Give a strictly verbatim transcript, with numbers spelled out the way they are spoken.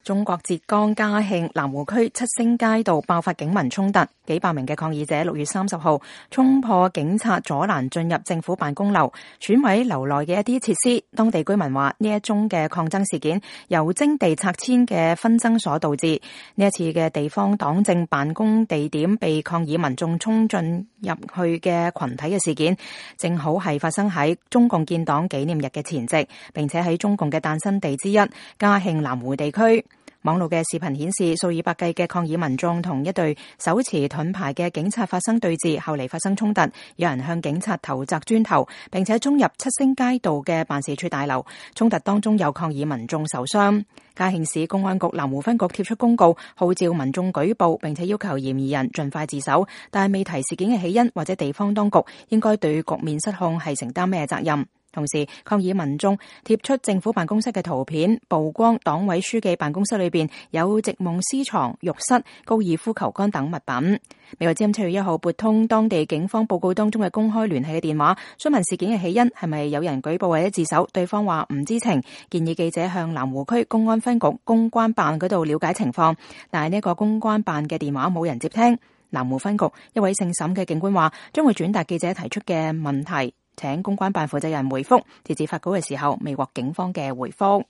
中國浙江嘉興南湖區七星街道爆發警民衝突，幾百名嘅抗議者六月三十號衝破警察阻攔進入政府辦公樓，損毀樓內嘅一啲設施。當地居民話呢一宗嘅抗爭事件由徵地拆遷嘅紛爭所導致。呢一次嘅地方黨政辦公地點被抗議民眾衝進入去嘅群體嘅事件，正好係發生喺中共建黨紀念日嘅前夕，並且喺中共嘅誕生地之一嘉興南湖地區。網絡嘅視頻顯示，數以百計嘅抗議民眾同一隊手持盾牌嘅警察發生對峙，後嚟發生衝突，有人向警察投擲磚頭，並且衝入七星街道嘅辦事處大樓。衝突當中有抗議民眾受傷。嘉興市公安局南湖分局貼出公告，號召民眾舉報，並且要求嫌疑人盡快自首，但係未提事件嘅起因或者地方當局應該對局面失控係承擔咩責任。同時，抗議民眾貼出政府辦公室嘅圖片，曝光黨委書記辦公室裏邊有席夢思床、浴室、高爾夫球桿等物品。美國之音七月一號撥通當地警方報告當中嘅公開聯繫嘅電話，詢問事件嘅起因係咪有人舉報或者自首，對方話唔知情，建議記者向南湖區公安分局公關辦嗰度了解情況，但係呢個公關辦嘅電話冇人接聽。南湖分局一位姓沈嘅警官話，將會轉達記者提出嘅問題，請公關辦負責人回覆，截至發稿嘅時候未獲警方嘅回覆。